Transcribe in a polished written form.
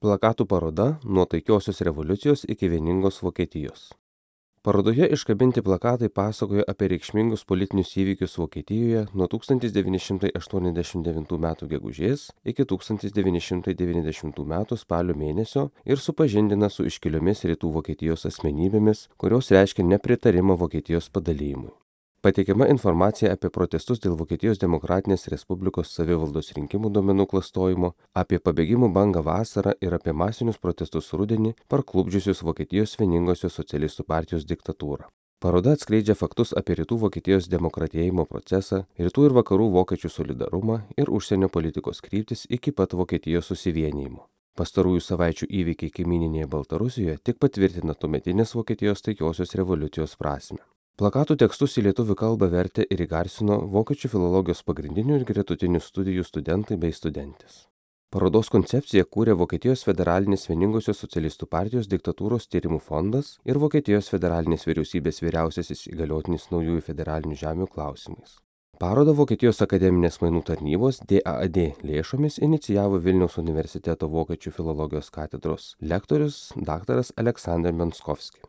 Plakatų paroda nuo taikiosios revoliucijos iki vieningos Vokietijos. Parodoje iškabinti plakatai pasakoja apie reikšmingus politinius įvykius Vokietijoje nuo 1989 m. gegužės iki 1990 m. spalio mėnesio ir supažindina su iškiliomis rytų Vokietijos asmenybėmis, kurios reiškia nepritarimą Vokietijos padalijimui. Pateikiama informacija apie protestus dėl Vokietijos Demokratinės Respublikos savivaldos rinkimų duomenų klastojimo, apie pabėgimų bangą vasarą ir apie masinius protestus rudenį parklupdžiusius Vokietijos vieningosios socialistų partijos diktatūrą. Paroda atskleidžia faktus apie rytų Vokietijos demokratėjimo procesą, rytų ir vakarų vokiečių solidarumą ir užsienio politikos kryptis iki pat Vokietijos susivienijimo. Pastarųjų savaičių įvykiai kaimyninėje Baltarusijoje tik patvirtina tuometinės Vokietijos taikiosios revoliucijos prasmę. Plakatų tekstus į lietuvių kalbą vertė ir įgarsino vokiečių filologijos pagrindinių ir gretutinių studijų studentai bei studentės. Parodos koncepciją kūrė Vokietijos federalinės vieningosios socialistų partijos diktatūros tyrimų fondas ir Vokietijos federalinės vyriausybės vyriausiasis įgaliotinis naujųjų federalinių žemių klausimais. Parodą Vokietijos akademinės mainų tarnybos DAAD lėšomis inicijavo Vilniaus universiteto vokiečių filologijos katedros lektorius dr. Aleksandr Menskovski.